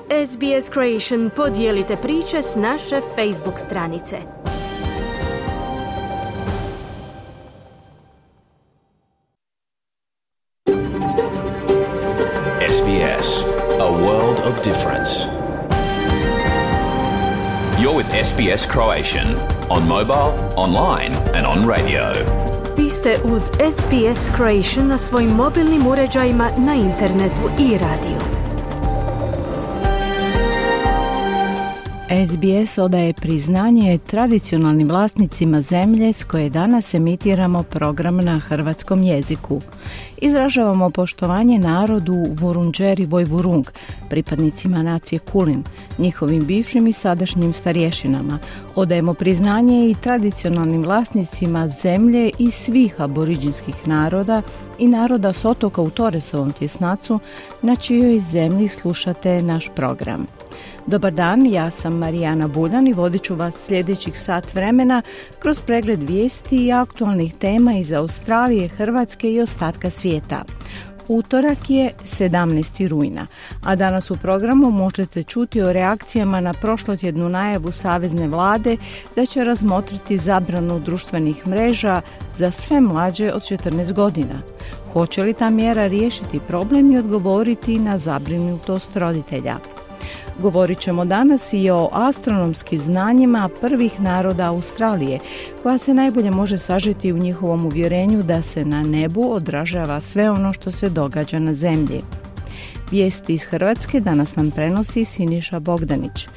SBS Creation podijelite priče s naše Facebook stranice. SBS, a world of difference. You're with SBS Croatian on mobile, online and on radio. Vi ste uz SBS Creation na svojim mobilnim uređajima, na internetu i radiju. SBS odaje priznanje tradicionalnim vlasnicima zemlje s koje danas emitiramo program na hrvatskom jeziku. Izražavamo poštovanje narodu Vurundjeri Vojvurung, pripadnicima nacije Kulin, njihovim bivšim i sadašnjim starješinama. Odajemo priznanje i tradicionalnim vlasnicima zemlje i svih aboriđinskih naroda i naroda s otoka u Torresovom tjesnacu, na čijoj zemlji slušate naš program. Dobar dan, ja sam Marijana Buljan i vodit ću vas sljedećih sat vremena kroz pregled vijesti i aktualnih tema iz Australije, Hrvatske i ostatka svijeta. Utorak je 17. rujna, a danas u programu možete čuti o reakcijama na prošlotjednu najavu Savezne vlade da će razmotriti zabranu društvenih mreža za sve mlađe od 14 godina. Hoće li ta mjera riješiti problem i odgovoriti na zabrinutost roditelja? Govorit ćemo danas i o astronomskim znanjima prvih naroda Australije, koja se najbolje može sažeti u njihovom uvjerenju da se na nebu odražava sve ono što se događa na zemlji. Vijesti iz Hrvatske danas nam prenosi Siniša Bogdanić.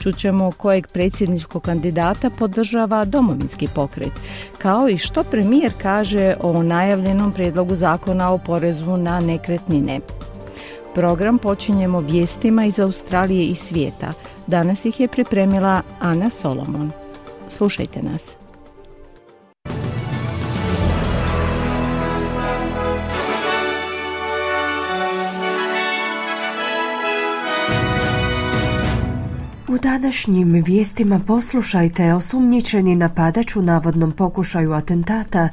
Čućemo kojeg predsjedničkog kandidata podržava Domovinski pokret, kao i što premijer kaže o najavljenom prijedlogu zakona o porezu na nekretnine. Program počinjemo vijestima iz Australije i svijeta. Danas ih je pripremila Ana Solomon. Slušajte nas. U današnjim vijestima poslušajte: osumnjičeni napadač u navodnom pokušaju atentata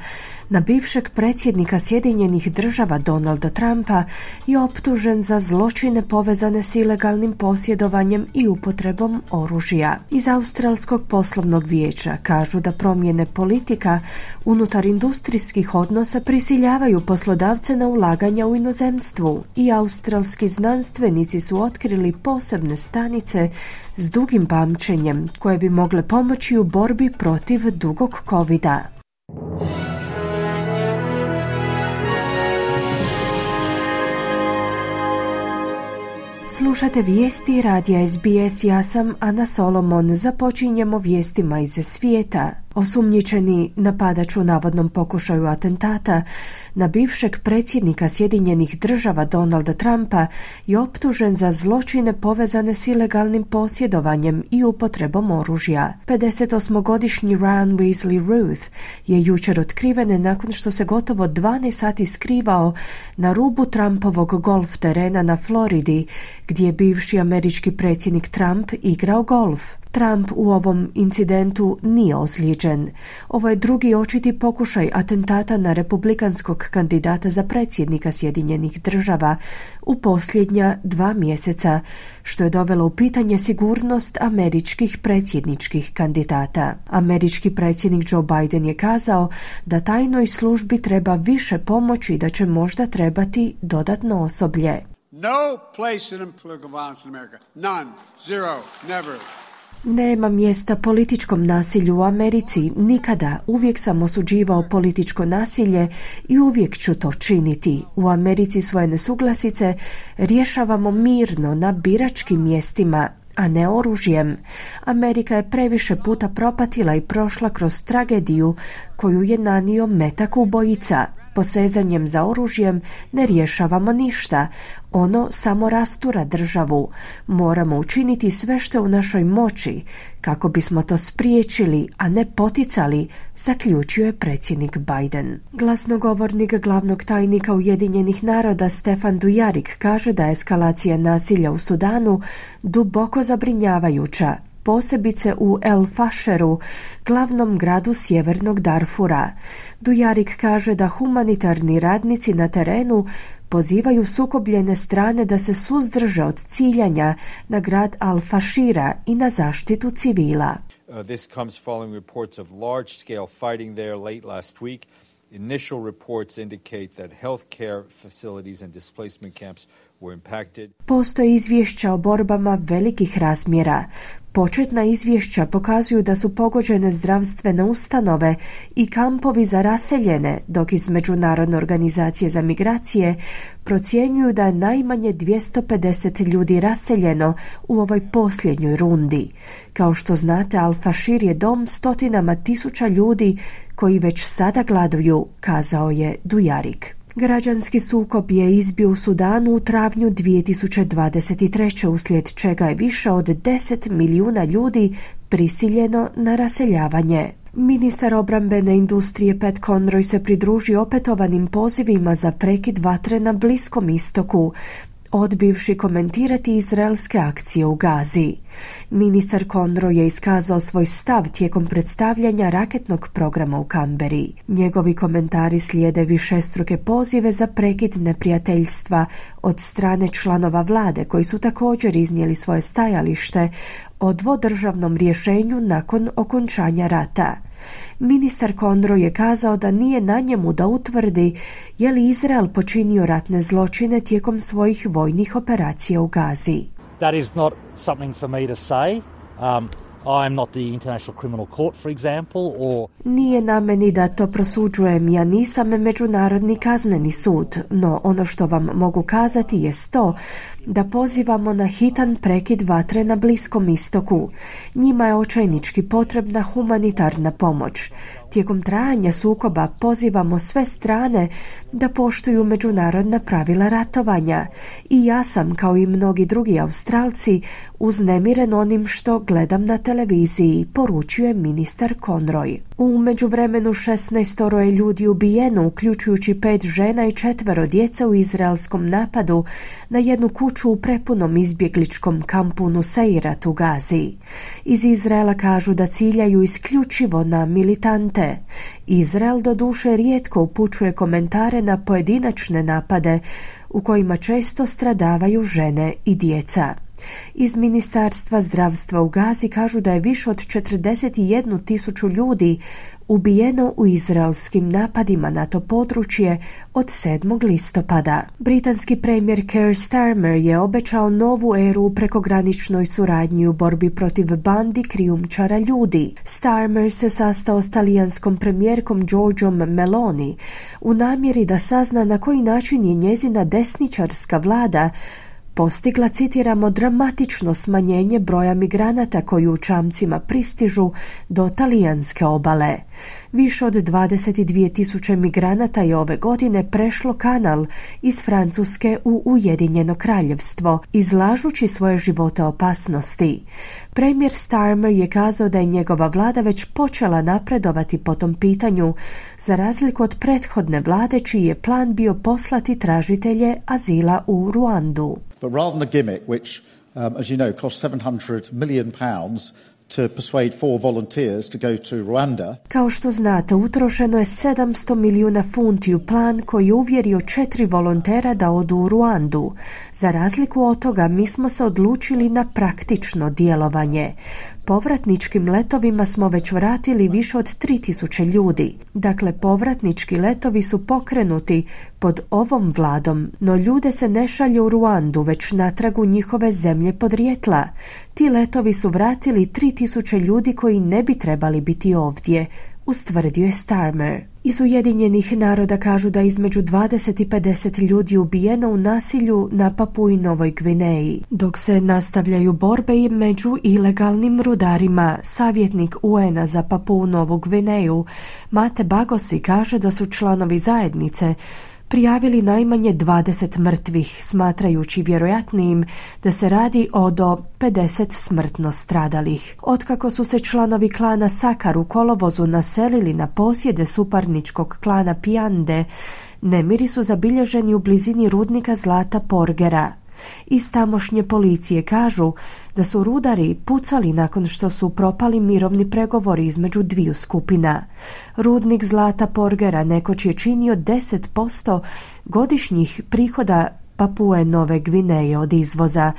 na bivšeg predsjednika Sjedinjenih Država Donalda Trumpa je optužen za zločine povezane s ilegalnim posjedovanjem i upotrebom oružja. Iz Australskog poslovnog vijeća kažu da promjene politika unutar industrijskih odnosa prisiljavaju poslodavce na ulaganja u inozemstvu i australski znanstvenici su otkrili posebne stanice s dugim pamćenjem koje bi mogle pomoći u borbi protiv dugog covida. Slušate vijesti radija SBS, ja sam Ana Solomon. Započinjemo vijestima iz svijeta. Osumnjičeni napadač u navodnom pokušaju atentata na bivšeg predsjednika Sjedinjenih Država Donalda Trumpa je optužen za zločine povezane s ilegalnim posjedovanjem i upotrebom oružja. 58-godišnji Ryan Weasley Ruth je jučer otkriven nakon što se gotovo 12 sati skrivao na rubu Trumpovog golf terena na Floridi, gdje je bivši američki predsjednik Trump igrao golf. Trump u ovom incidentu nije ozlijeđen. Ovo je drugi očiti pokušaj atentata na republikanskog kandidata za predsjednika Sjedinjenih Država u posljednja 2 mjeseca, što je dovelo u pitanje sigurnost američkih predsjedničkih kandidata. Američki predsjednik Joe Biden je kazao da tajnoj službi treba više pomoći i da će možda trebati dodatno osoblje. No place in political violence in America. None. Zero. Never. Nema mjesta političkom nasilju u Americi, nikada. Uvijek sam osuđivao političko nasilje i uvijek ću to činiti. U Americi svoje nesuglasice rješavamo mirno na biračkim mjestima, a ne oružjem. Amerika je previše puta propatila i prošla kroz tragediju koju je nanio metak ubojica. Posezanjem za oružjem ne rješavamo ništa. Ono samo rastura državu. Moramo učiniti sve što je u našoj moći kako bismo to spriječili, a ne poticali, zaključio je predsjednik Biden. Glasnogovornik glavnog tajnika Ujedinjenih naroda Stefan Dujarric kaže da je eskalacija nasilja u Sudanu duboko zabrinjavajuća posebice u El Fasheru, glavnom gradu sjevernog Darfura. Dujarik kaže da humanitarni radnici na terenu pozivaju sukobljene strane da se suzdrže od ciljanja na grad Al-Fashira i na zaštitu civila. This comes following reports of large-scale fighting there late last week. Initial reports indicate that healthcare facilities and displacement camps were impacted. Postoje izvješća o borbama velikih razmjera. Početna izvješća pokazuju da su pogođene zdravstvene ustanove i kampovi za raseljene, dok iz Međunarodne organizacije za migracije procjenjuju da je najmanje 250 ljudi raseljeno u ovoj posljednjoj rundi. Kao što znate, Al-Fashir je dom stotinama tisuća ljudi koji već sada gladuju, kazao je Dujarik. Građanski sukob je izbio u Sudanu u travnju 2023. uslijed čega je više od 10 milijuna ljudi prisiljeno na raseljavanje. Ministar obrambene industrije Pat Conroy se pridružio opetovanim pozivima za prekid vatre na Bliskom istoku, odbivši komentirati izraelske akcije u Gazi. Ministar Conroy je iskazao svoj stav tijekom predstavljanja raketnog programa u Kamberi. Njegovi komentari slijede višestruke pozive za prekid neprijateljstva od strane članova vlade koji su također iznijeli svoje stajalište o dvodržavnom rješenju nakon okončanja rata. Ministar Conroy je kazao da nije na njemu da utvrdi je li Izrael počinio ratne zločine tijekom svojih vojnih operacija u Gazi. That is not something for me to say. I am not the International Criminal Court, for example, or... Nije na meni da to prosuđujem, ja nisam Međunarodni kazneni sud, no ono što vam mogu kazati jest to da pozivamo na hitan prekid vatre na Bliskom istoku. Njima je očajnički potrebna humanitarna pomoć. Tijekom trajanja sukoba pozivamo sve strane da poštuju međunarodna pravila ratovanja i ja sam, kao i mnogi drugi Australci, uznemiren onim što gledam na televiziji, poručio je ministar Conroy. U međuvremenu 16 je ljudi ubijeno, uključujući 5 žena i 4 djece u izraelskom napadu na jednu kuću u prepunom izbjegličkom kampu Nuseirat u Gazi. Iz Izraela kažu da ciljaju isključivo na militante. Izrael doduše rijetko upućuje komentare na pojedinačne napade u kojima često stradavaju žene i djeca. Iz Ministarstva zdravstva u Gazi kažu da je više od 41.000 ljudi ubijeno u izraelskim napadima na to područje od 7. listopada. Britanski premijer Keir Starmer je obećao novu eru u prekograničnoj suradnji u borbi protiv bandi krijumčara ljudi. Starmer se sastao s talijanskom premijerkom Giorgiom Meloni u namjeri da sazna na koji način je njezina desničarska vlada postigla, citiramo, dramatično smanjenje broja migranata koji u čamcima pristižu do talijanske obale. Više od 22.000 migranata je ove godine prešlo kanal iz Francuske u Ujedinjeno kraljevstvo, izlažući svoje živote opasnosti. Premijer Starmer je kazao da je njegova vlada već počela napredovati po tom pitanju, za razliku od prethodne vlade čiji je plan bio poslati tražitelje azila u Ruandu. But rather than a gimmick which, as you know, cost £700 million to persuade 4 volunteers to go to Rwanda. Kao što znate, utrošeno je 700 milijuna funti u plan koji je uvjerio 4 volontera da odu u Ruandu. Za razliku od toga, mi smo se odlučili na praktično djelovanje. Povratničkim letovima smo već vratili više od 3.000 ljudi. Dakle, povratnički letovi su pokrenuti pod ovom vladom, no ljude se ne šalje u Ruandu, već natrag u njihove zemlje podrijetla. Ti letovi su vratili 3.000 ljudi koji ne bi trebali biti ovdje, ustvrdio je Starmer. Iz Ujedinjenih naroda kažu da između 20 i 50 ljudi ubijeno u nasilju na Papui Novoj Gvineji. Dok se nastavljaju borbe i među ilegalnim rudarima, savjetnik UN-a za Papuu Novu Gvineju Mate Bagosi kaže da su članovi zajednice prijavili najmanje 20 mrtvih, smatrajući vjerojatnijim da se radi o do 50 smrtno stradalih. Otkako su se članovi klana Sakar u kolovozu naselili na posjede suparničkog klana Piande, nemiri su zabilježeni u blizini rudnika zlata Porgera. Iz tamošnje policije kažu da su rudari pucali nakon što su propali mirovni pregovori između dviju skupina. Rudnik zlata Porgera nekoć je činio 10% godišnjih prihoda Papue Nove Gvineje od izvoza,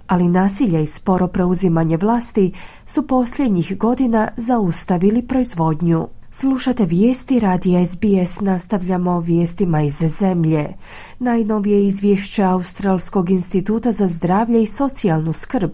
ali nasilje i sporo preuzimanje vlasti su posljednjih godina zaustavili proizvodnju. Slušate vijesti radija SBS, nastavljamo vijestima iz zemlje. Najnovije izvješće Australskog instituta za zdravlje i socijalnu skrb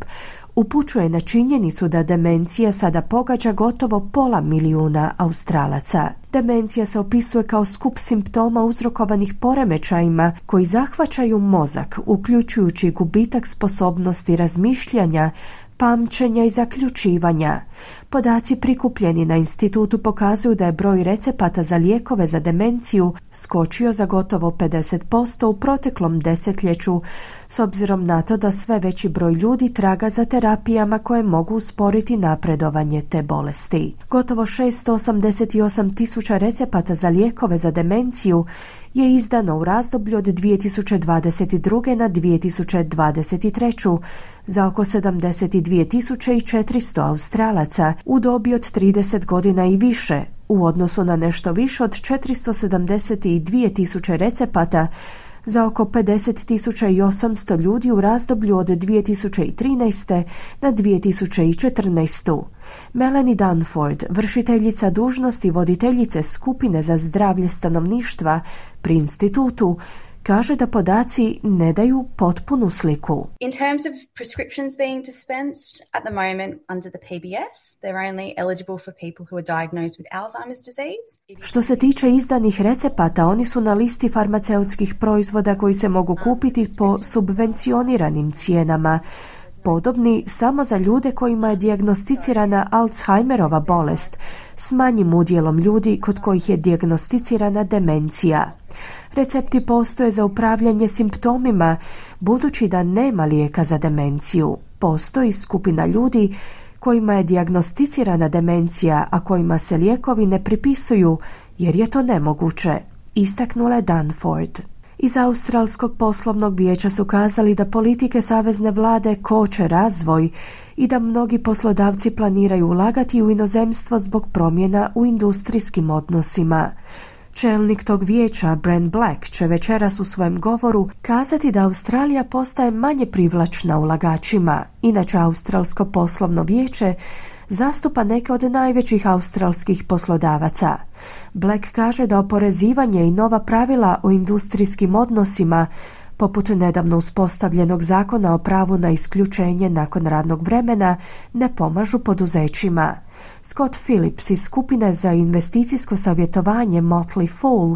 upućuje na činjenicu da demencija sada pogađa gotovo 500.000 Australaca. Demencija se opisuje kao skup simptoma uzrokovanih poremećajima koji zahvaćaju mozak, uključujući gubitak sposobnosti razmišljanja, pamćenja i zaključivanja. Podaci prikupljeni na institutu pokazuju da je broj recepata za lijekove za demenciju skočio za gotovo 50% u proteklom desetljeću, s obzirom na to da sve veći broj ljudi traga za terapijama koje mogu usporiti napredovanje te bolesti. Gotovo 688.000 recepata za lijekove za demenciju je izdano u razdoblju od 2022. na 2023. za oko 72.400 Australaca u dobi od 30 godina i više, u odnosu na nešto više od 472.000 recepata za oko 50.800 ljudi u razdoblju od 2013. na 2014. Melanie Dunford, vršiteljica dužnosti voditeljice skupine za zdravlje stanovništva pri institutu, kaže da podaci ne daju potpunu sliku. In terms of prescriptions being dispensed, at the moment under the PBS, they're only eligible for people who are diagnosed with Alzheimer's disease. Što se tiče izdanih recepata, oni su na listi farmaceutskih proizvoda koji se mogu kupiti po subvencioniranim cijenama, podobni samo za ljude kojima je dijagnosticirana Alzheimerova bolest, s manjim udjelom ljudi kod kojih je dijagnosticirana demencija. Recepti postoje za upravljanje simptomima, budući da nema lijeka za demenciju. Postoji skupina ljudi kojima je dijagnosticirana demencija, a kojima se lijekovi ne pripisuju jer je to nemoguće, istaknula je Dunford. Iz Australskog poslovnog vijeća su kazali da politike savezne vlade koče razvoj i da mnogi poslodavci planiraju ulagati u inozemstvo zbog promjena u industrijskim odnosima. Čelnik tog vijeća, Brent Black, će večeras u svojem govoru kazati da Australija postaje manje privlačna ulagačima. Inače, Australsko poslovno vijeće zastupa neke od najvećih australskih poslodavaca. Black kaže da oporezivanje i nova pravila o industrijskim odnosima, poput nedavno uspostavljenog zakona o pravu na isključenje nakon radnog vremena, ne pomažu poduzećima. Scott Phillips iz skupine za investicijsko savjetovanje Motley Fool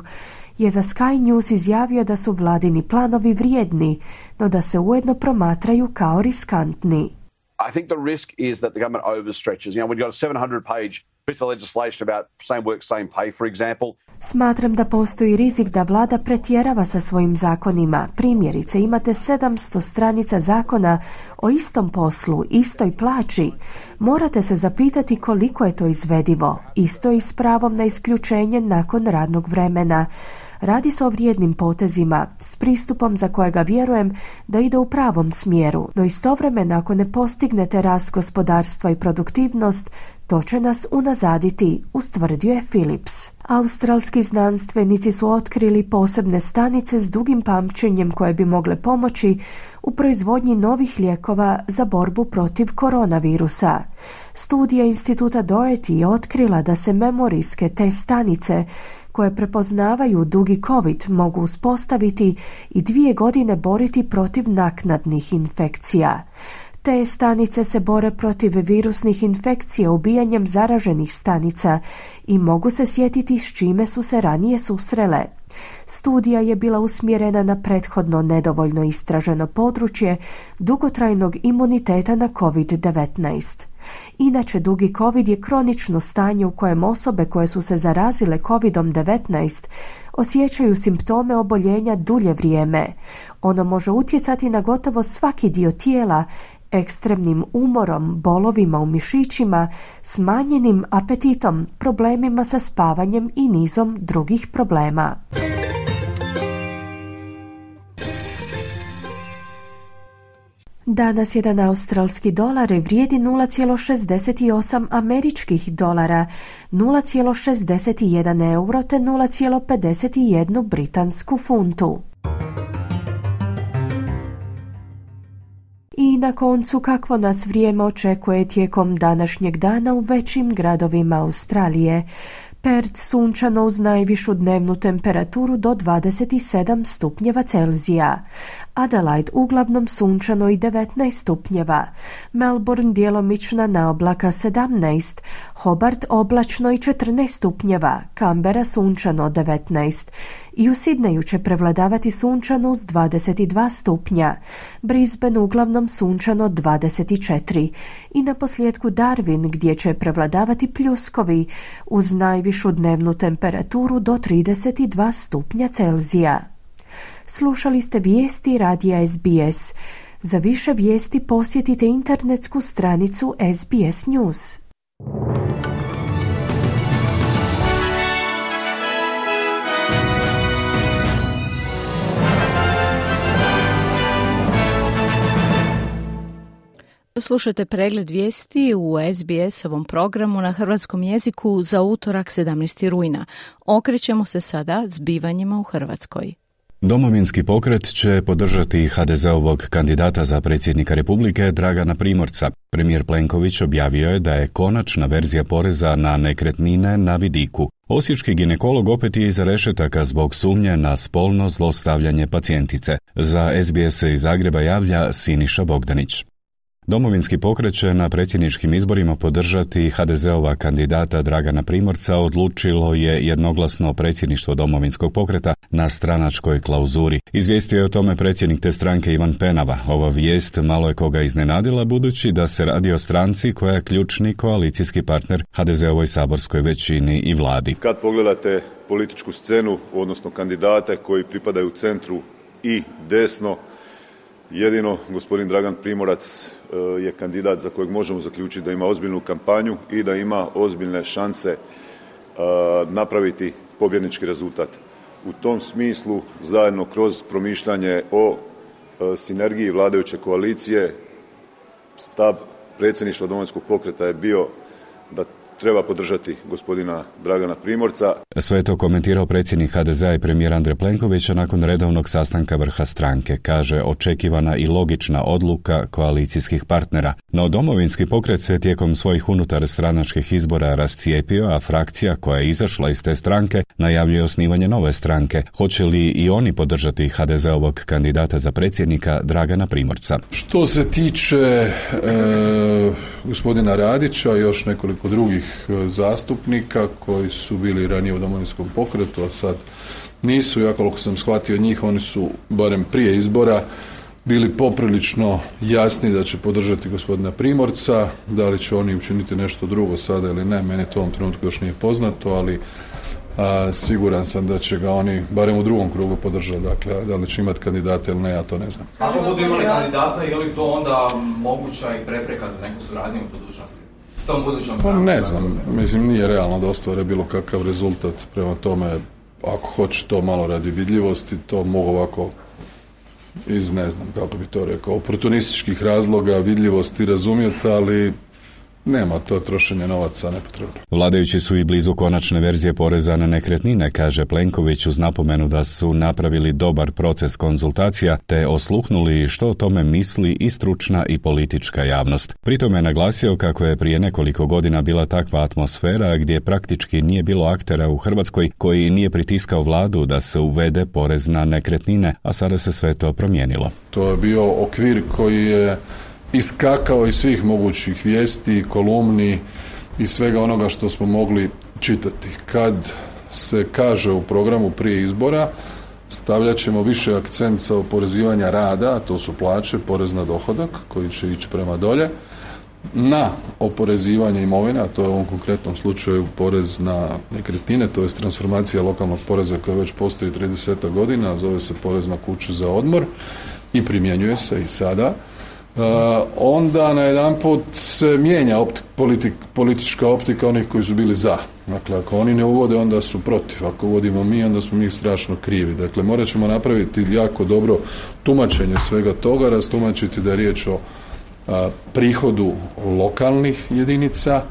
je za Sky News izjavio da su vladini planovi vrijedni, no da se ujedno promatraju kao riskantni. I think the risk is that the government overstretches. You know, when you've got a 700-page piece of legislation about same work, same pay, for example. Smatram da postoji rizik da vlada pretjerava sa svojim zakonima. Primjerice, imate 700 stranica zakona o istom poslu, istoj plaći. Morate se zapitati koliko je to izvedivo. Isto i s pravom na isključenje nakon radnog vremena. Radi se o vrijednim potezima, s pristupom za kojega vjerujem da ide u pravom smjeru, no istovremeno ako ne postignete rast gospodarstva i produktivnost, to će nas unazaditi, ustvrdio je Phillips. Australski znanstvenici su otkrili posebne stanice s dugim pamćenjem koje bi mogle pomoći u proizvodnji novih lijekova za borbu protiv koronavirusa. Studija instituta Doherty je otkrila da se memorijske te stanice koje prepoznavaju dugi COVID mogu uspostaviti i 2 godine boriti protiv naknadnih infekcija. Te stanice se bore protiv virusnih infekcija ubijanjem zaraženih stanica i mogu se sjetiti s čime su se ranije susrele. Studija je bila usmjerena na prethodno nedovoljno istraženo područje dugotrajnog imuniteta na COVID-19. Inače, dugi COVID je kronično stanje u kojem osobe koje su se zarazile COVID-19 osjećaju simptome oboljenja dulje vrijeme. Ono može utjecati na gotovo svaki dio tijela, ekstremnim umorom, bolovima u mišićima, smanjenim apetitom, problemima sa spavanjem i nizom drugih problema. Danas jedan australski dolar vrijedi 0,68 američkih dolara, 0,61 euro te 0,51 britansku funtu. I na koncu, kakvo nas vrijeme očekuje tijekom današnjeg dana u većim gradovima Australije. Perth sunčano uz najvišu dnevnu temperaturu do 27 stupnjeva Celzija. Adelaide uglavnom sunčano i 19 stupnjeva. Melbourne djelomična naoblaka 17. Hobart oblačno i 14 stupnjeva. Canberra sunčano 19. I u Sidneju će prevladavati sunčano uz 22 stupnja. Brisbane uglavnom sunčano 24. I na posljedku Darwin gdje će prevladavati pljuskovi uz najvišu dnevnu temperaturu do 32 stupnja Celzija. Slušali ste vijesti radija SBS. Za više vijesti posjetite internetsku stranicu SBS News. Slušajte pregled vijesti u SBS-ovom programu na hrvatskom jeziku za utorak 17. rujna. Okrećemo se sada zbivanjima u Hrvatskoj. Domovinski pokret će podržati HDZ-ovog kandidata za predsjednika Republike Dragana Primorca. Premijer Plenković objavio je da je konačna verzija poreza na nekretnine na vidiku. Osječki ginekolog opet je iza rešetaka zbog sumnje na spolno zlostavljanje pacijentice. Za SBS iz Zagreba javlja Siniša Bogdanić. Domovinski pokret će na predsjedničkim izborima podržati HDZ-ova kandidata Dragana Primorca, odlučilo je jednoglasno predsjedništvo Domovinskog pokreta na stranačkoj klauzuri. Izvijestio je o tome predsjednik te stranke Ivan Penava. Ova vijest malo je koga iznenadila budući da se radi o stranci koja je ključni koalicijski partner HDZ-ovoj saborskoj većini i vladi. Kad pogledate političku scenu, odnosno kandidate koji pripadaju centru i desno, jedino gospodin Dragan Primorac je kandidat za kojeg možemo zaključiti da ima ozbiljnu kampanju i da ima ozbiljne šanse napraviti pobjednički rezultat. U tom smislu, zajedno kroz promišljanje o sinergiji vladajuće koalicije, stav predsjedništva Domovinskog pokreta je bio da treba podržati gospodina Dragana Primorca. Sve je to komentirao predsjednik HDZ-a i premijer Andrej Plenković nakon redovnog sastanka vrha stranke. Kaže, očekivana i logična odluka koalicijskih partnera. No Domovinski pokret se tijekom svojih unutar stranačkih izbora rascijepio, a frakcija koja je izašla iz te stranke najavljuje osnivanje nove stranke. Hoće li i oni podržati HDZ-ovog kandidata za predsjednika Dragana Primorca? Što se tiče gospodina Radića i još nekoliko drugih zastupnika koji su bili ranije u Domovinskom pokretu, a sad nisu, ja koliko sam shvatio njih, oni su barem prije izbora bili poprilično jasni da će podržati gospodina Primorca. Da li će oni učiniti nešto drugo sada ili ne, mene to u ovom trenutku još nije poznato, ali siguran sam da će ga oni barem u drugom krugu podržati. Dakle, da li će imati kandidata ili ne, ja to ne znam. Ako budu imali kandidata, je li to onda moguća i prepreka za neku suradnju u budućnosti? Pa ne znam, mislim nije realno da ostvare bilo kakav rezultat, prema tome ako hoće to malo radi vidljivosti, to mogu ovako iz, ne znam kako bi to rekao, oportunističkih razloga vidljivosti razumjeti, ali nema, to trošenje novaca nepotrebno. Vladajući su i blizu konačne verzije poreza na nekretnine, kaže Plenković uz napomenu da su napravili dobar proces konzultacija te osluhnuli što o tome misli i stručna i politička javnost. Pritom je naglasio kako je prije nekoliko godina bila takva atmosfera gdje praktički nije bilo aktera u Hrvatskoj koji nije pritiskao vladu da se uvede porez na nekretnine, a sada se sve to promijenilo. To je bio okvir koji je iskakao iz svih mogućih vijesti, kolumni i svega onoga što smo mogli čitati. Kad se kaže u programu prije izbora, stavljat ćemo više akcent sa oporezivanja rada, a to su plaće, porez na dohodak koji će ići prema dolje, na oporezivanje imovine, a to je u ovom konkretnom slučaju porez na nekretnine, to je transformacija lokalnog poreza koja već postoji 30 godina, zove se porez na kuće za odmor i primjenjuje se i sada. onda najedanput se mijenja politička optika onih koji su bili za. Dakle, ako oni ne uvode, onda su protiv. Ako uvodimo mi, onda smo mi strašno krivi. Dakle, morat ćemo napraviti jako dobro tumačenje svega toga, rastumačiti da je riječ o prihodu lokalnih jedinica,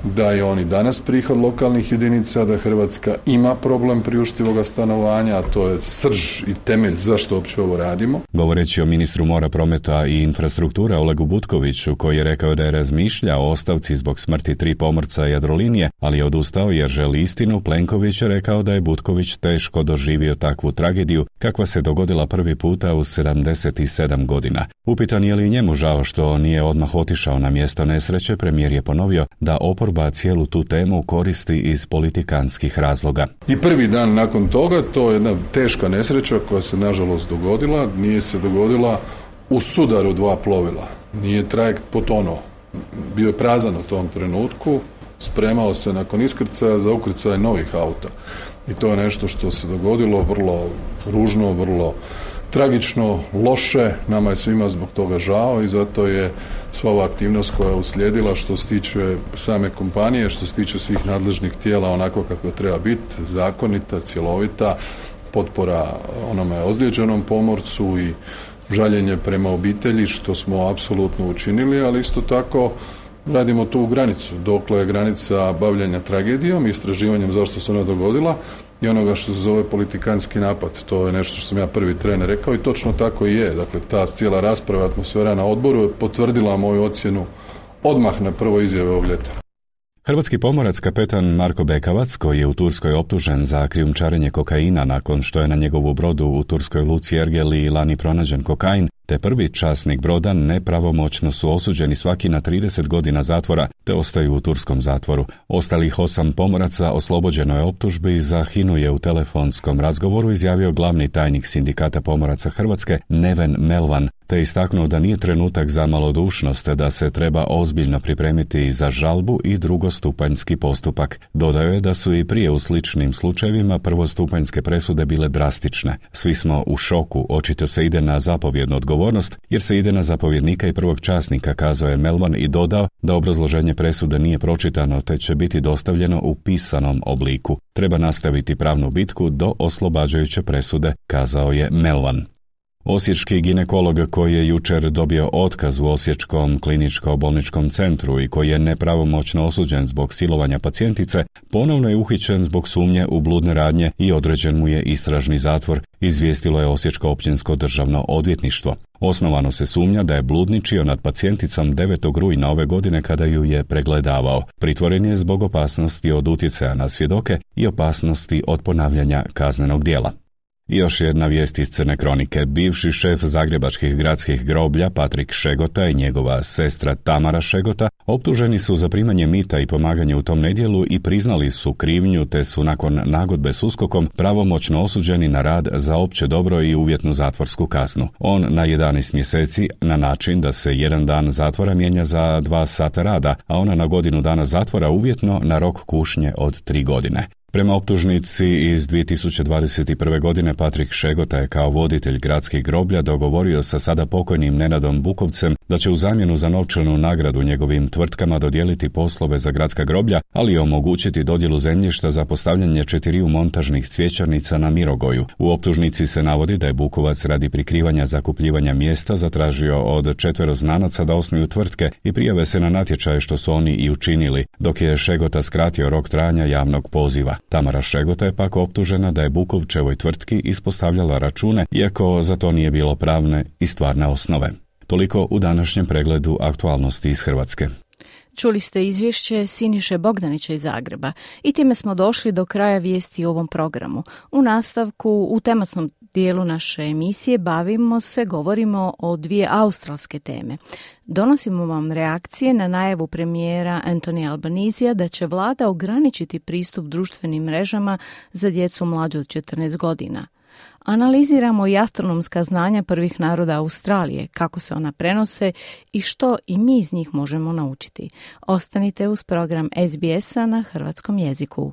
da je on i danas prihod lokalnih jedinica, da Hrvatska ima problem priuštivoga stanovanja, a to je srž i temelj zašto uopće ovo radimo. Govoreći o ministru mora, prometa i infrastrukture Olegu Butkoviću, koji je rekao da je razmišljao o ostavci zbog smrti 3 pomorca Jadrolinije, ali je odustao jer želi istinu, Plenković je rekao da je Butković teško doživio takvu tragediju kakva se dogodila prvi puta u 77 godina. Upitan je li njemu žao što nije odmah otišao na mjesto nesreće, premijer je ponovio da oporba cijelu tu temu koristi iz politikantskih razloga. I prvi dan nakon toga, to je jedna teška nesreća koja se nažalost dogodila, nije se dogodila u sudaru 2 plovila. Nije trajekt potonuo. Bio je prazan u tom trenutku, spremao se nakon iskrcaja za ukrcaj novih auta. I to je nešto što se dogodilo vrlo ružno, vrlo tragično, loše, nama je svima zbog toga žao i zato je sva ova aktivnost koja je uslijedila što se tiče same kompanije, što se tiče svih nadležnih tijela onako kako treba biti, zakonita, cjelovita, potpora onome ozlijeđenom pomorcu i žaljenje prema obitelji, što smo apsolutno učinili, ali isto tako radimo tu granicu, dokle je granica bavljanja tragedijom, istraživanjem zašto se ona dogodila i onoga što se zove politikantski napad. To je nešto što sam ja prvi tren rekao i točno tako i je. Dakle, ta cijela rasprava, atmosfera na odboru je potvrdila moju ocjenu odmah na prvoj izjave ovog ljeta. Hrvatski pomorac kapetan Marko Bekavac, koji je u Turskoj optužen za krijumčarenje kokaina nakon što je na njegovu brodu u turskoj luci Ergeli lani pronađen kokain, te prvi časnik broda nepravomoćno su osuđeni svaki na 30 godina zatvora, te ostaju u turskom zatvoru. Ostalih 8 pomoraca oslobođeno je optužbi, za HINA-u je u telefonskom razgovoru izjavio glavni tajnik Sindikata pomoraca Hrvatske Neven Melvan, te istaknuo da nije trenutak za malodušnost, da se treba ozbiljno pripremiti za žalbu i drugostupanjski postupak. Dodao je da su i prije u sličnim slučajevima prvostupanjske presude bile drastične. Svi smo u šoku, očito se ide na zapovjednu odgovornost, jer se ide na zapovjednika i prvog časnika, kazao je Melvan i dodao da obrazloženje presude nije pročitano, te će biti dostavljeno u pisanom obliku. Treba nastaviti pravnu bitku do oslobađajuće presude, kazao je Melvan. Osječki ginekolog koji je jučer dobio otkaz u Osječkom kliničko-bolničkom centru i koji je nepravomoćno osuđen zbog silovanja pacijentice, ponovno je uhićen zbog sumnje u bludne radnje i određen mu je istražni zatvor, izvijestilo je Osječko općinsko državno odvjetništvo. Osnovano se sumnja da je bludničio nad pacijenticom 9. rujna ove godine kada ju je pregledavao. Pritvoren je zbog opasnosti od utjecaja na svjedoke i opasnosti od ponavljanja kaznenog djela. I još jedna vijest iz Crne kronike. Bivši šef zagrebačkih gradskih groblja Patrik Šegota i njegova sestra Tamara Šegota optuženi su za primanje mita i pomaganje u tom nedjelu i priznali su krivnju, te su nakon nagodbe s USKOK-om pravomoćno osuđeni na rad za opće dobro i uvjetnu zatvorsku kaznu. On na 11 mjeseci na način da se 1 dan zatvora mijenja za 2 sata rada, a ona na godinu dana zatvora uvjetno na rok kušnje od 3 godine. Prema optužnici iz 2021. godine Patrik Šegota je kao voditelj gradskih groblja dogovorio sa sada pokojnim Nenadom Bukovcem da će u zamjenu za novčanu nagradu njegovim tvrtkama dodijeliti poslove za gradska groblja, ali i omogućiti dodjelu zemljišta za postavljanje 4 montažnih cvjećarnica na Mirogoju. U optužnici se navodi da je Bukovac radi prikrivanja zakupljivanja mjesta zatražio od 4 znanaca da osnuju tvrtke i prijave se na natječaje, što su oni i učinili, dok je Šegota skratio rok trajanja javnog poziva. Tamara Šegota je pak optužena da je Bukovčevoj tvrtki ispostavljala račune, iako za to nije bilo pravne i stvarne osnove. Toliko u današnjem pregledu aktualnosti iz Hrvatske. Čuli ste izvješće Siniše Bogdanića iz Zagreba i time smo došli do kraja vijesti u ovom programu. U nastavku, u tematnom dijelu naše emisije govorimo o 2 australske teme. Donosimo vam reakcije na najavu premijera Anthony Albanizija da će vlada ograničiti pristup društvenim mrežama za djecu mlađu od 14 godina. Analiziramo i astronomska znanja prvih naroda Australije, kako se ona prenose i što i mi iz njih možemo naučiti. Ostanite uz program SBS-a na hrvatskom jeziku.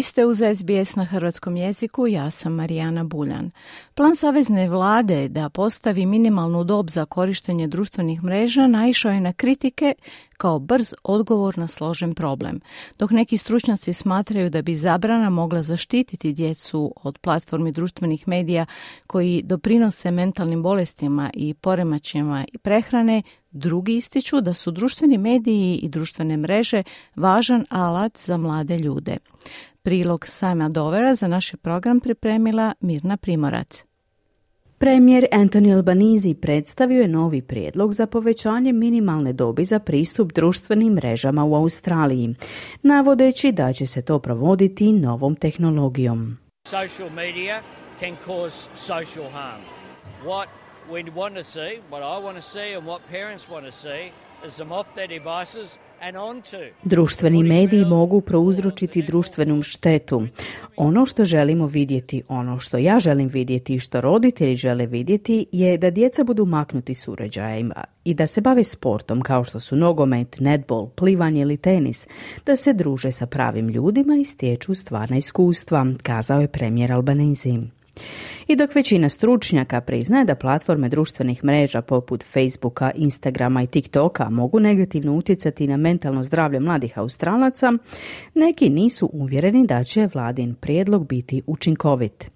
Vi ste uz SBS na hrvatskom jeziku, ja sam Marijana Buljan. Plan savezne vlade da postavi minimalnu dob za korištenje društvenih mreža naišao je na kritike kao brz odgovor na složen problem, dok neki stručnjaci smatraju da bi zabrana mogla zaštititi djecu od platformi društvenih medija koji doprinose mentalnim bolestima i poremećajima prehrane. Drugi ističu da su društveni mediji i društvene mreže važan alat za mlade ljude. Prilog Sama Dovera za naš program pripremila Mirna Primorac. Premijer Anthony Albanese predstavio je novi prijedlog za povećanje minimalne dobi za pristup društvenim mrežama u Australiji, navodeći da će se to provoditi novom tehnologijom. Social media can cause social harm. What we want to see, what I want to see and what parents want to see is them off their devices and onto. Društveni mediji mogu prouzročiti društvenu štetu. Ono što želimo vidjeti, ono što ja želim vidjeti i što roditelji žele vidjeti je da djeca budu maknuti s uređajima i da se bave sportom kao što su nogomet, netbol, plivanje ili tenis, da se druže sa pravim ljudima i stječu stvarna iskustva, kazao je premijer Albanese. I dok većina stručnjaka priznaje da platforme društvenih mreža poput Facebooka, Instagrama i TikToka mogu negativno utjecati na mentalno zdravlje mladih Australaca, neki nisu uvjereni da će vladin prijedlog biti učinkovit.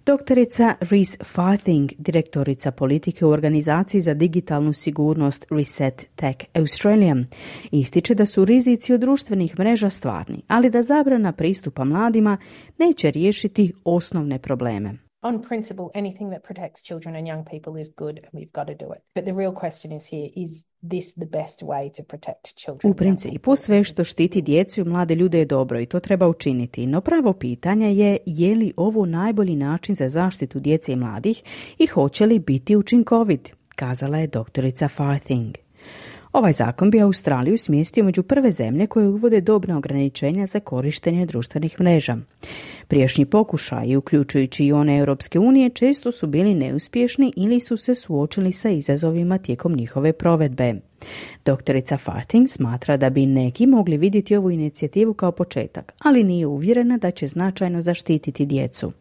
Doktorica Reese Farthing, direktorica politike u organizaciji za digitalnu sigurnost Reset Tech Australia, ističe da su rizici od društvenih mreža stvarni, ali da zabrana pristupa mladima neće riješiti osnovne probleme. On principle, anything that protects children and young people is good and we've got to do it. But the real question is here, is this the best way to protect children? U principu, sve što štiti djecu i mlade ljude je dobro i to treba učiniti. No pravo pitanje je li ovo najbolji način za zaštitu djece i mladih i hoće li biti učinkovit, kazala je doktorica Farthing. Ovaj zakon bi Australiju smjestio među prve zemlje koje uvode dobna ograničenja za korištenje društvenih mreža. Prijašnji pokušaji, uključujući i one Europske unije, često su bili neuspješni ili su se suočili sa izazovima tijekom njihove provedbe. Doktorica Farthing smatra da bi neki mogli vidjeti ovu inicijativu kao početak, ali nije uvjerena da će značajno zaštititi djecu.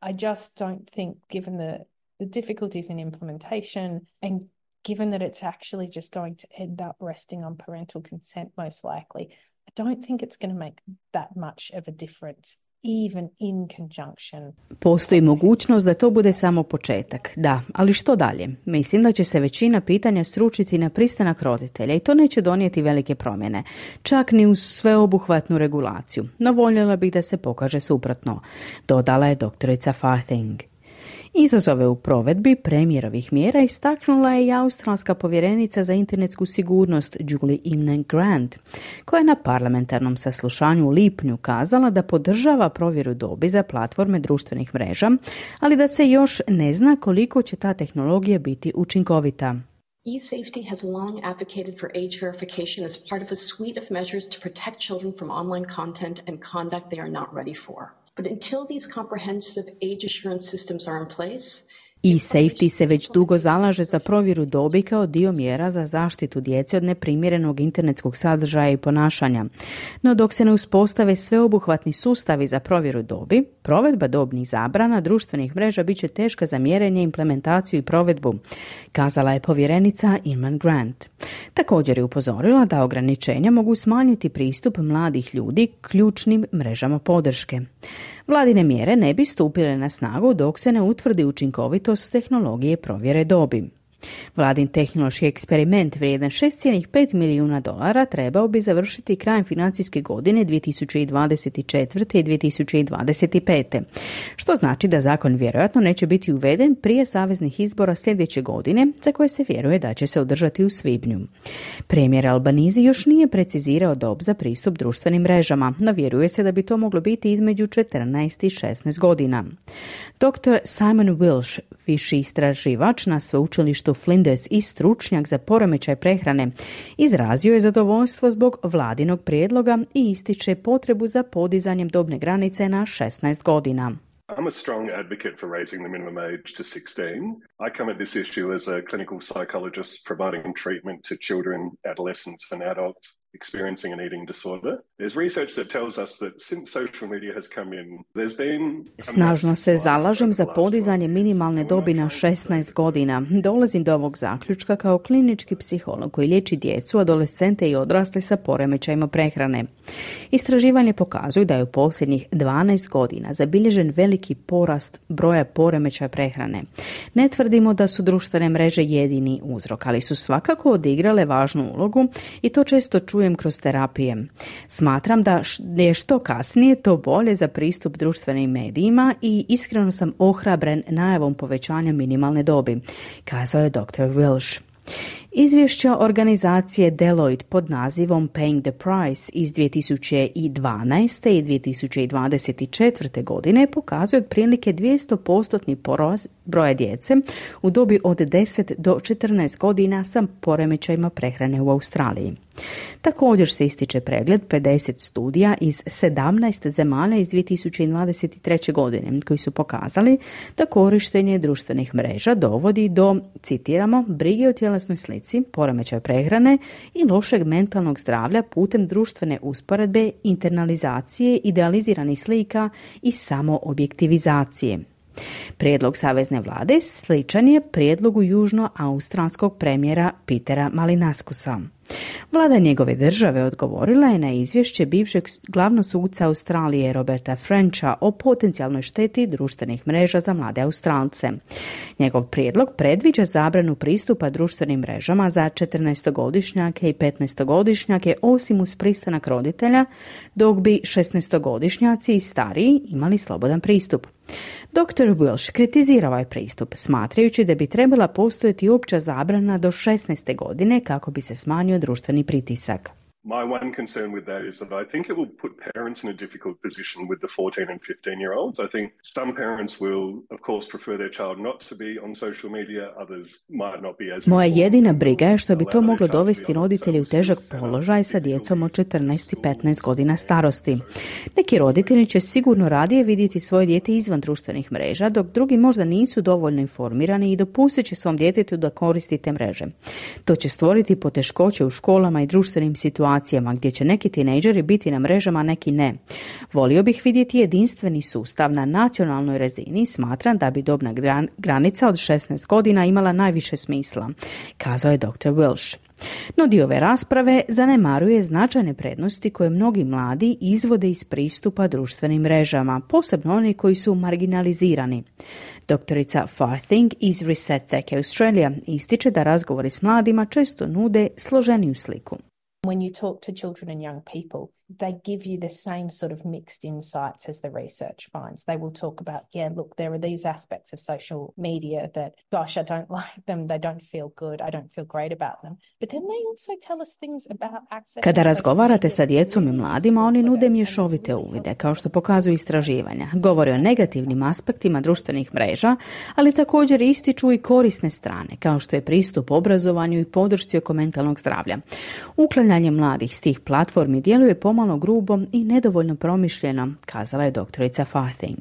I just don't think, given the difficulties in implementation and given that it's actually just going to end up resting on parental consent most likely, I don't think it's going to make that much of a difference, even in conjunction. Postoji mogućnost da to bude samo početak, da, ali što dalje? Mislim da će se većina pitanja sručiti na pristanak roditelja i to neće donijeti velike promjene, čak ni uz sveobuhvatnu regulaciju, no voljela bih da se pokaže suprotno, dodala je doktorica Farthing. Izazove u provedbi premijerovih mjera istaknula je i australska povjerenica za internetsku sigurnost Julie Imnan Grant, koja je na parlamentarnom saslušanju u lipnju kazala da podržava provjeru dobi za platforme društvenih mreža, ali da se još ne zna koliko će ta tehnologija biti učinkovita. eSafety has long advocated for age verification as part of a suite of measures to protect children from online content and conduct they are not ready for. But until these comprehensive age assurance systems are in place, eSafety se već dugo zalaže za provjeru dobi kao dio mjera za zaštitu djece od neprimjerenog internetskog sadržaja i ponašanja. No dok se ne uspostave sveobuhvatni sustavi za provjeru dobi, provedba dobnih zabrana društvenih mreža bit će teška za mjerenje, implementaciju i provedbu, kazala je povjerenica Imran Grant. Također je upozorila da ograničenja mogu smanjiti pristup mladih ljudi ključnim mrežama podrške. Vladine mjere ne bi stupile na snagu dok se ne utvrdi učinkovitost tehnologije provjere dobi. Vladin tehnološki eksperiment vrijedan $6,5 milijuna trebao bi završiti krajem financijske godine 2024. i 2025. Što znači da zakon vjerojatno neće biti uveden prije saveznih izbora sljedeće godine, za koje se vjeruje da će se održati u svibnju. Premijer Albanese još nije precizirao dob za pristup društvenim mrežama, no vjeruje se da bi to moglo biti između 14 i 16 godina. Dr. Simon Wilsh, viši istraživač na sveučilištu Flinders i stručnjak za poremećaj prehrane, izrazio je zadovoljstvo zbog vladinog prijedloga i ističe potrebu za podizanjem dobne granice na 16 godina. I'm a strong advocate for raising the minimum age to 16. I come at this issue as a clinical psychologist providing treatment to children, adolescents and adults experiencing an eating disorder. There's research that tells us that since social media has come in, there's been... Snažno se zalažem za podizanje minimalne dobi na 16 godina. Dolazim do ovog zaključka kao klinički psiholog koji liječi djecu, adolescente i odrasle sa poremećajima prehrane. Istraživanje pokazuju da je u posljednjih 12 godina zabilježen veliki porast broja poremećaja prehrane. Ne tvrdimo da su društvene mreže jedini uzrok, ali su svakako odigrale važnu ulogu i to često čujem kroz terapije. Smatram da je što kasnije to bolje za pristup društvenim medijima i iskreno sam ohrabren najavom povećanja minimalne dobi, kazao je dr. Welsh. Izvješća organizacije Deloitte pod nazivom Paying the Price iz 2012. i 2024. godine pokazuje otprilike 200% porast broja djece u dobi od 10 do 14 godina sa poremećajima prehrane u Australiji. Također se ističe pregled 50 studija iz 17 zemalja iz 2023. godine koji su pokazali da korištenje društvenih mreža dovodi do, citiramo, brige o tjelesnoj slici, poremećaja prehrane i lošeg mentalnog zdravlja putem društvene usporedbe, internalizacije, idealiziranih slika i samoobjektivizacije. Prijedlog savezne vlade sličan je prijedlogu južnoaustralskog premijera Petera Malinaskusa. Vlada njegove države odgovorila je na izvješće bivšeg glavnog suca Australije Roberta Frencha o potencijalnoj šteti društvenih mreža za mlade Australce. Njegov prijedlog predviđa zabranu pristupa društvenim mrežama za 14-godišnjake i 15-godišnjake osim uz pristanak roditelja, dok bi 16-godišnjaci i stariji imali slobodan pristup. Dr. Welsh kritizira ovaj pristup, smatrajući da bi trebala postojati opća zabrana do 16. godine kako bi se smanjio društveni pritisak. My one concern with that is that I think it will put parents in a difficult position with the 14 and 15-year-olds. I think some parents will, of course, prefer their child not to be on social media, others might not be as... Moja jedina briga je što bi to moglo dovesti roditelji u težak položaj sa djecom od 14 i 15 godina starosti. Neki roditelji će sigurno radije vidjeti svoje dijete izvan društvenih mreža, dok drugi možda nisu dovoljno informirani i dopustit će svom djetetu da koristi te mreže. To će stvoriti poteškoće u školama i društvenim situacijama gdje će neki tinejdžeri biti na mrežama, a neki ne. Volio bih vidjeti jedinstveni sustav na nacionalnoj razini. Smatram da bi dobna granica od 16 godina imala najviše smisla, kazao je dr. Welsh. No dio ove rasprave zanemaruje značajne prednosti koje mnogi mladi izvode iz pristupa društvenim mrežama, posebno oni koji su marginalizirani. Doktorica Farthing iz Reset Tech Australia ističe da razgovori s mladima često nude složeniju sliku. When you talk to children and young people, they give you the same sort of mixed insights as the research finds. They will talk about, yeah, look, there are these aspects of social media that, gosh, I don't like them, they don't feel good, I don't feel great about them. But then they also tell us things about access. Kada razgovarate sa djecom i mladima, oni nude mješovite uvide, kao što pokazuju istraživanja. Govore o negativnim aspektima društvenih mreža, ali također ističu i korisne strane, kao što je pristup obrazovanju i podršci oko mentalnog zdravlja. Uklanjanje mladih s tih platformi djeluje pomalo grubo i nedovoljno promišljeno, kazala je doktorica Farthing.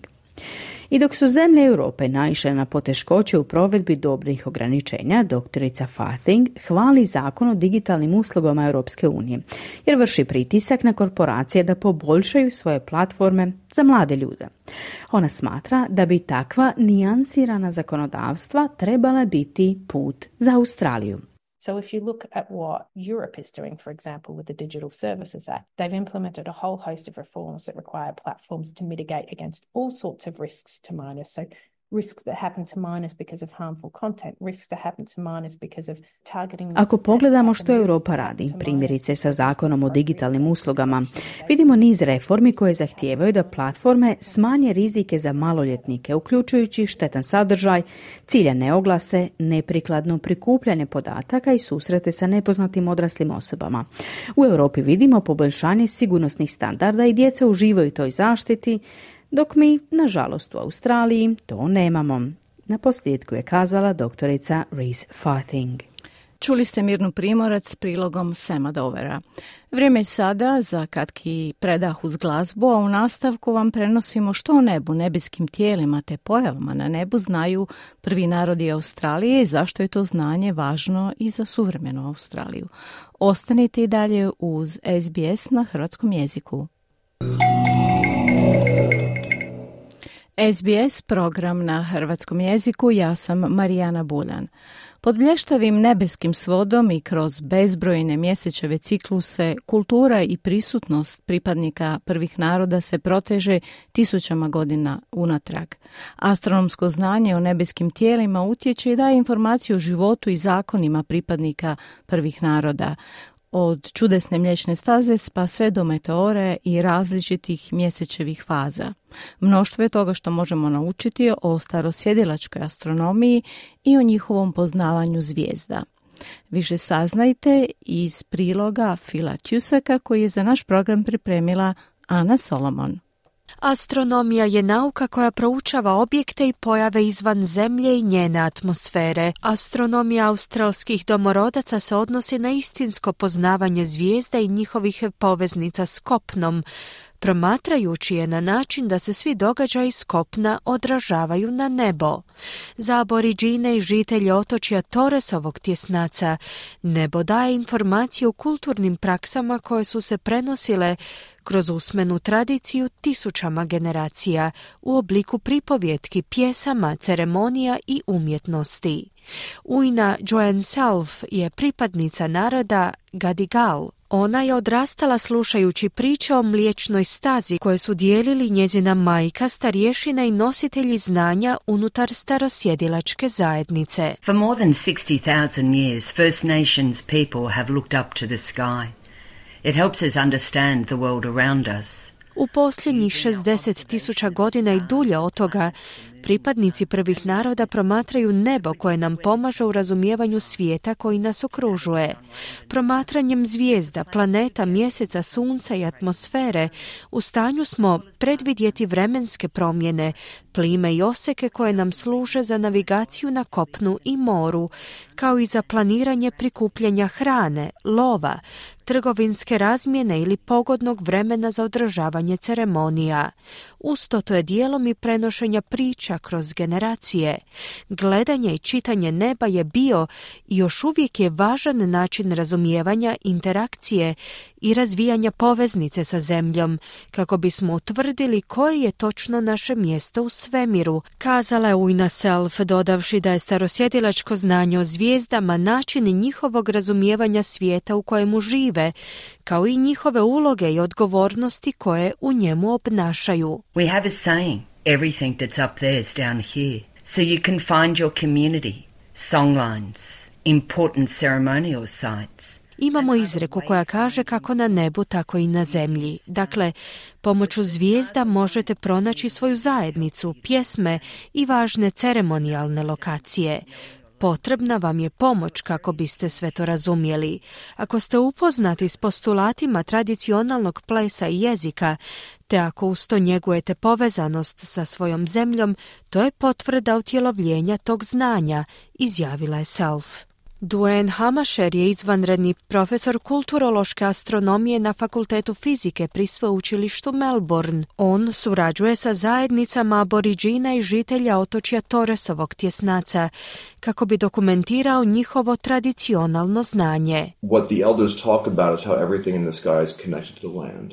I dok su zemlje Europe naišle na poteškoće u provedbi dobnih ograničenja, doktorica Farthing hvali zakon o digitalnim uslugama Europske unije, jer vrši pritisak na korporacije da poboljšaju svoje platforme za mlade ljude. Ona smatra da bi takva nijansirana zakonodavstva trebala biti put za Australiju. So if you look at what Europe is doing, for example, with the Digital Services Act, they've implemented a whole host of reforms that require platforms to mitigate against all sorts of risks to minors. So risks that happen to minors because of harmful content, risks that happen to minors because of targeting. Ako pogledamo što Europa radi, primjerice sa zakonom o digitalnim uslugama, vidimo niz reformi koje zahtijevaju da platforme smanje rizike za maloljetnike, uključujući štetan sadržaj, ciljane oglase, neprikladno prikupljanje podataka i susrete sa nepoznatim odraslim osobama. U Europi vidimo poboljšanje sigurnosnih standarda i djeca uživaju toj zaštiti, dok mi, nažalost, u Australiji to nemamo. Na posljedku je kazala doktorica Reese Farthing. Čuli ste Mirnu Primorac s prilogom Sema Dovera. Vrijeme je sada za kratki predah uz glazbu, a u nastavku vam prenosimo što o nebu, nebeskim tijelima te pojavama na nebu znaju prvi narodi Australije i zašto je to znanje važno i za suvremenu Australiju. Ostanite i dalje uz SBS na hrvatskom jeziku. SBS program na hrvatskom jeziku, ja sam Marijana Buljan. Pod blještavim nebeskim svodom i kroz bezbrojne mjesečeve cikluse, kultura i prisutnost pripadnika prvih naroda se proteže tisućama godina unatrag. Astronomsko znanje o nebeskim tijelima utječe i daje informaciju o životu i zakonima pripadnika prvih naroda. Od čudesne mliječne staze pa sve do meteore i različitih mjesečevih faza. Mnoštvo je toga što možemo naučiti o starosjedilačkoj astronomiji i o njihovom poznavanju zvijezda. Više saznajte iz priloga Phila Tuseka koji je za naš program pripremila Ana Solomon. Astronomija je nauka koja proučava objekte i pojave izvan Zemlje i njene atmosfere. Astronomija australskih domorodaca se odnosi na istinsko poznavanje zvijezda i njihovih poveznica s kopnom, promatrajući je na način da se svi događaji s kopna odražavaju na nebo. Za aboriđine i žitelje otočja Torresovog tjesnaca nebo daje informacije o kulturnim praksama koje su se prenosile kroz usmenu tradiciju tisućama generacija u obliku pripovjetki, pjesama, ceremonija i umjetnosti. Ujna Joanne Self je pripadnica naroda Gadigal. Ona je odrastala slušajući priče o mliječnoj stazi koje su dijelili njezina majka, starješina i nositelji znanja unutar starosjedilačke zajednice. For more than 60,000 years, First Nations people have looked up to the sky. It helps us understand the world around us. U posljednjih 60,000 godina i dulje od toga, pripadnici prvih naroda promatraju nebo koje nam pomaže u razumijevanju svijeta koji nas okružuje. Promatranjem zvijezda, planeta, mjeseca, sunca i atmosfere u stanju smo predvidjeti vremenske promjene, plime i oseke koje nam služe za navigaciju na kopnu i moru, kao i za planiranje prikupljanja hrane, lova, trgovinske razmjene ili pogodnog vremena za održavanje ceremonija. Usto to je dijelom i prenošenja priča kroz generacije. Gledanje i čitanje neba je bio i još uvijek je važan način razumijevanja, interakcije i razvijanja poveznice sa Zemljom, kako bismo utvrdili koje je točno naše mjesto u svemiru, kazala je Ujna Self, dodavši da je starosjedilačko znanje o zvijezdama način njihovog razumijevanja svijeta u kojemu žive, kao i njihove uloge i odgovornosti koje u njemu obnašaju. We have a saying, everything that's up there is down here. So you can find your community, songlines, important ceremonial sites. Imamo izreku koja kaže kako na nebu, tako i na zemlji. Dakle, pomoću zvijezda možete pronaći svoju zajednicu, pjesme i važne ceremonijalne lokacije. Potrebna vam je pomoć kako biste sve to razumjeli. Ako ste upoznati s postulatima tradicionalnog plesa i jezika, te ako uz to njegujete povezanost sa svojom zemljom, to je potvrda utjelovljenja tog znanja, izjavila je Self. Duane Hamasher je izvanredni profesor kulturološke astronomije na Fakultetu fizike pri sveučilištu Melbourne. On surađuje sa zajednicama aboriđina i žitelja otočja Torresovog tjesnaca kako bi dokumentirao njihovo tradicionalno znanje. What the elders talk about is how everything in the sky is connected to the land.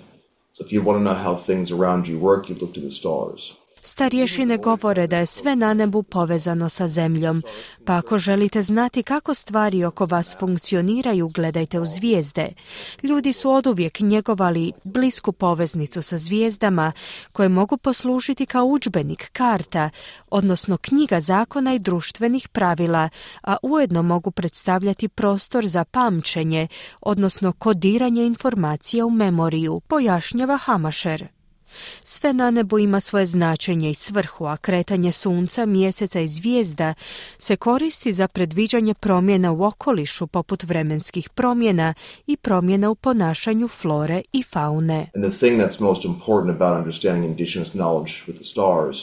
So if you want to know how things around you work, you look to the stars. Starješine govore da je sve na nebu povezano sa zemljom, pa ako želite znati kako stvari oko vas funkcioniraju, gledajte u zvijezde. Ljudi su oduvijek njegovali blisku poveznicu sa zvijezdama, koje mogu poslužiti kao udžbenik, karta, odnosno knjiga zakona i društvenih pravila, a ujedno mogu predstavljati prostor za pamćenje, odnosno kodiranje informacija u memoriju, pojašnjava Hamasher. Sve na nebu ima svoje značenje i svrhu, a kretanje sunca, mjeseca i zvijezda se koristi za predviđanje promjena u okolišu poput vremenskih promjena i promjena u ponašanju flore i faune. And the thing that's most important about understanding indigenous knowledge with the stars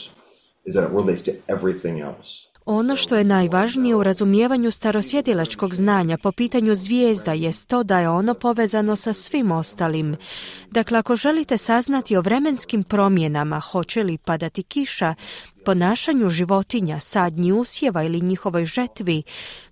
is that it relates to everything else. Ono što je najvažnije u razumijevanju starosjedilačkog znanja po pitanju zvijezda jest to da je ono povezano sa svim ostalim. Dakle, ako želite saznati o vremenskim promjenama, hoće li padati kiša, ponašanju životinja, sadnji usjeva ili njihovoj žetvi,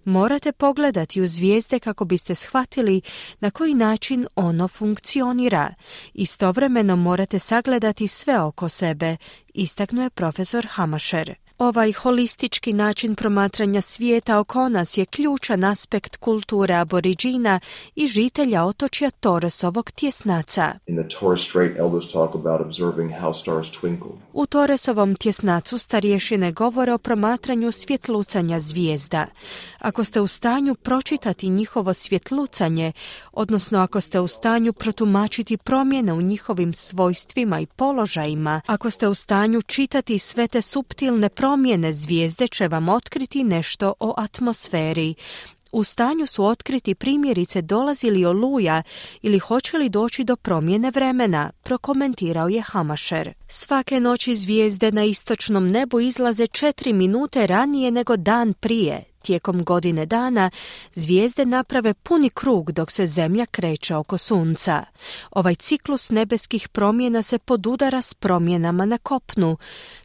morate pogledati u zvijezde kako biste shvatili na koji način ono funkcionira. Istovremeno morate sagledati sve oko sebe, istaknuo je profesor Hamacher. Ovaj holistički način promatranja svijeta oko nas je ključan aspekt kulture aboriđina i žitelja otočja Torresovog tjesnaca. U Torresovom tjesnacu starješine govore o promatranju svjetlucanja zvijezda. Ako ste u stanju pročitati njihovo svjetlucanje, odnosno ako ste u stanju protumačiti promjene u njihovim svojstvima i položajima, ako ste u stanju čitati sve te suptilne promjene, zvijezde će vam otkriti nešto o atmosferi. U stanju su otkriti primjerice dolazi li oluja ili hoće li doći do promjene vremena, prokomentirao je Hamacher. Svake noći zvijezde na istočnom nebu izlaze 4 minute ranije nego dan prije. Tijekom godine dana zvijezde naprave puni krug dok se zemlja kreće oko sunca. Ovaj ciklus nebeskih promjena se podudara s promjenama na kopnu.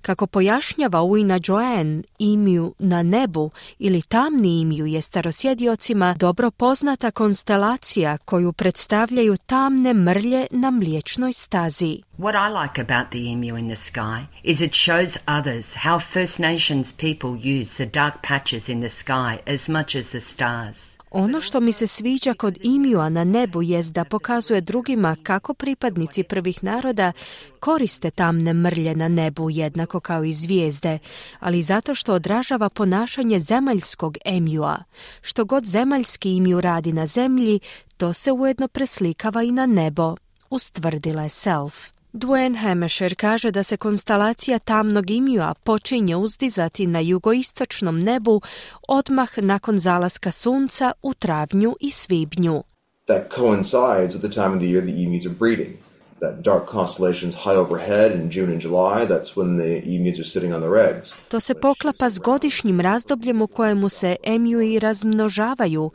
Kako pojašnjava Uina Joanne, imiju na nebu ili tamni imiju je starosjediocima dobro poznata konstelacija koju predstavljaju tamne mrlje na Mliječnoj stazi. What I like about the emu in the sky is it shows others how First Nations people use the dark patches in the sky as much as the stars. Ono što mi se sviđa kod imija na nebu jest da pokazuje drugima kako pripadnici prvih naroda koriste tamne mrlje na nebu jednako kao i zvijezde, ali zato što odražava ponašanje zemaljskog emija. Što god zemaljski imiju radi na zemlji, to se ujedno preslikava i na nebo, ustvrdila je Self. Duane Hamacher kaže da se konstelacija tamnog imija počinje uzdizati na jugoistočnom nebu odmah nakon zalaska sunca u travnju i svibnju. That coincides with the time of the year the emus are breeding. That dark constellation's high overhead in June and July, that's when the emus are sitting on their eggs. To se poklapa s godišnjim razdobljem u kojemu se emiji razmnožavaju.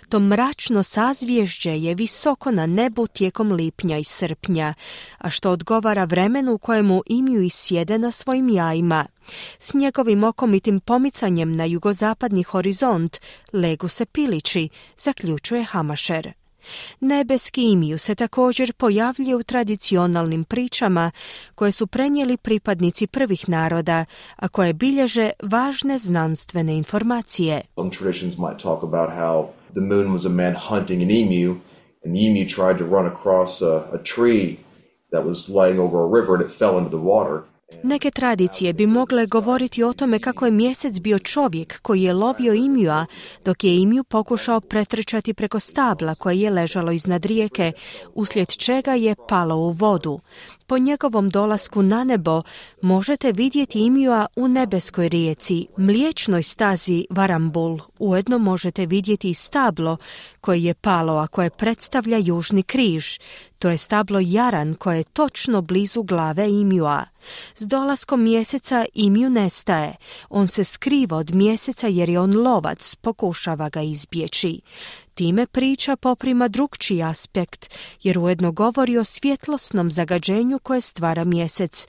To mračno sazvježđe je visoko na nebu tijekom lipnja i srpnja, a što odgovara vremenu u kojemu emiji sjede na svojim jajima. S njegovim okomitim pomicanjem na jugozapadni horizont legu se pilići, zaključuje Hamacher. Nebeski imiju se također pojavljuje u tradicionalnim pričama koje su prenijeli pripadnici prvih naroda, a koje bilježe važne znanstvene informacije. Some traditions might talk about how the moon was a man hunting an emu and the emu tried to run across a tree that was laying over a river and it fell into the water. Neke tradicije bi mogle govoriti o tome kako je mjesec bio čovjek koji je lovio imija, dok je imiju pokušao pretrčati preko stabla koje je ležalo iznad rijeke, uslijed čega je palo u vodu. Po njegovom dolasku na nebo možete vidjeti imija u nebeskoj rijeci, Mliječnoj stazi Varambul. Ujedno možete vidjeti i stablo koje je palo, a koje predstavlja južni križ. To je stablo Jaran koje je točno blizu glave imija. S dolaskom mjeseca imiju nestaje. On se skriva od mjeseca jer je on lovac, pokušava ga izbjeći. Time priča poprima drukčiji aspekt, jer ujedno govori o svjetlosnom zagađenju koje stvara mjesec,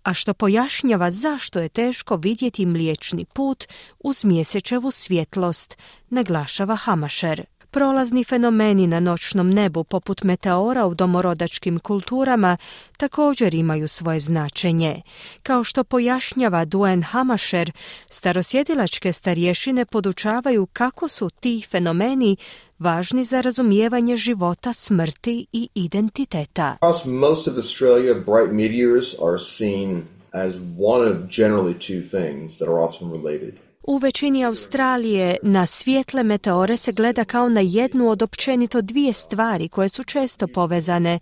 a što pojašnjava zašto je teško vidjeti Mliječni put uz mjesečevu svjetlost, naglašava Hamacher. Prolazni fenomeni na noćnom nebu poput meteora u domorodačkim kulturama također imaju svoje značenje. Kao što pojašnjava Duane Hamacher, starosjedilačke starješine podučavaju kako su ti fenomeni važni za razumijevanje života, smrti i identiteta. Across most of Australia, bright meteors are seen as one of generally two things that are often related. U većini Australije na svijetle meteore se gleda kao na jednu od općenito dvije stvari koje su često povezane.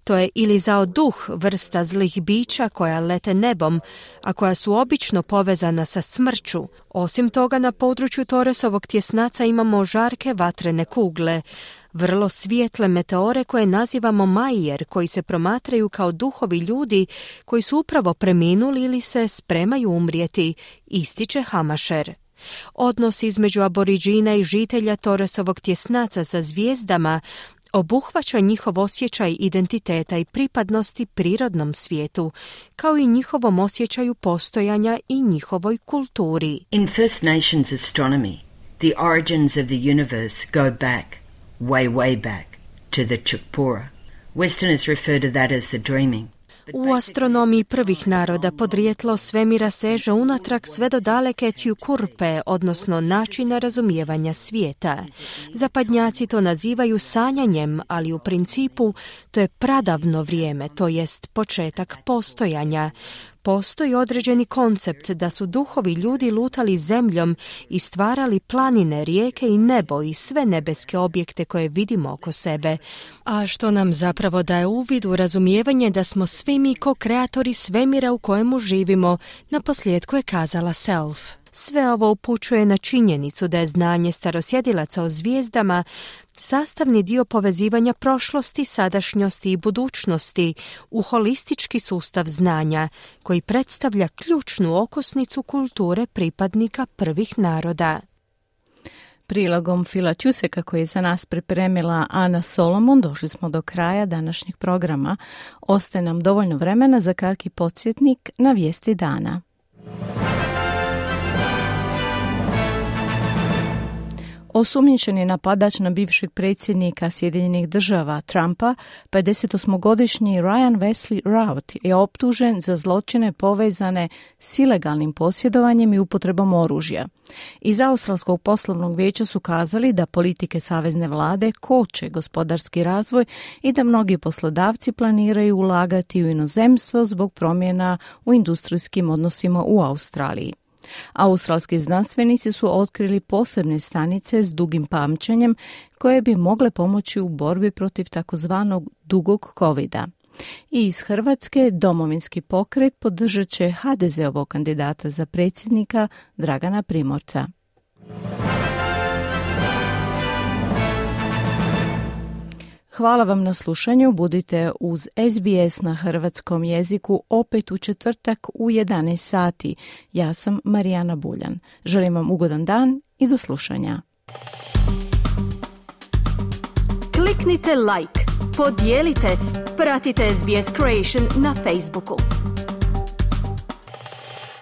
To je ili zao duh, vrsta zlih bića koja lete nebom, a koja su obično povezana sa smrću. Osim toga, na području Torresovog tjesnaca imamo žarke vatrene kugle, vrlo svijetle meteore koje nazivamo Majer, koji se promatraju kao duhovi ljudi koji su upravo preminuli ili se spremaju umrijeti, ističe Hamacher. Odnos između aboriđina i žitelja Torresovog tjesnaca sa zvijezdama obuhvaća njihov osjećaj identiteta i pripadnosti prirodnom svijetu, kao i njihovom osjećaju postojanja i njihovoj kulturi. In First Nations astronomy, the origins of the universe go back, way back, to the Chukpura. Westerners refer to that as the dreaming. U astronomiji prvih naroda podrijetlo svemira seže unatrag sve do daleke Tjukurpe, odnosno načina razumijevanja svijeta. Zapadnjaci to nazivaju sanjanjem, ali u principu to je pradavno vrijeme, to jest početak postojanja. Postoji određeni koncept da su duhovi ljudi lutali zemljom i stvarali planine, rijeke i nebo i sve nebeske objekte koje vidimo oko sebe, a što nam zapravo daje uvid u razumijevanje da smo svi mi ko-kreatori svemira u kojemu živimo, naposljetku je kazala Self. Sve ovo upućuje na činjenicu da je znanje starosjedilaca o zvijezdama sastavni dio povezivanja prošlosti, sadašnjosti i budućnosti u holistički sustav znanja koji predstavlja ključnu okosnicu kulture pripadnika prvih naroda. Prilogom Phila Tjuseka koji je za nas pripremila Ana Solomon došli smo do kraja današnjeg programa. Ostaje nam dovoljno vremena za kratki podsjetnik na vijesti dana. Osumnjičeni napadač na bivšeg predsjednika Sjedinjenih država Trumpa, 58-godišnji Ryan Wesley Routh, je optužen za zločine povezane s ilegalnim posjedovanjem i upotrebom oružja. Iz Australskog poslovnog vijeća su kazali da politike savezne vlade koče gospodarski razvoj i da mnogi poslodavci planiraju ulagati u inozemstvo zbog promjena u industrijskim odnosima u Australiji. Australski znanstvenici su otkrili posebne stanice s dugim pamćenjem koje bi mogle pomoći u borbi protiv takozvanog dugog covida. I iz Hrvatske Domovinski pokret podržat će HDZ-ovog kandidata za predsjednika Dragana Primorca. Hvala vam na slušanju, budite uz SBS na hrvatskom jeziku opet u četvrtak u 11 sati. Ja sam Marijana Buljan. Želim vam ugodan dan i do slušanja. Kliknite like, podijelite, pratite SBS Creation na Facebooku.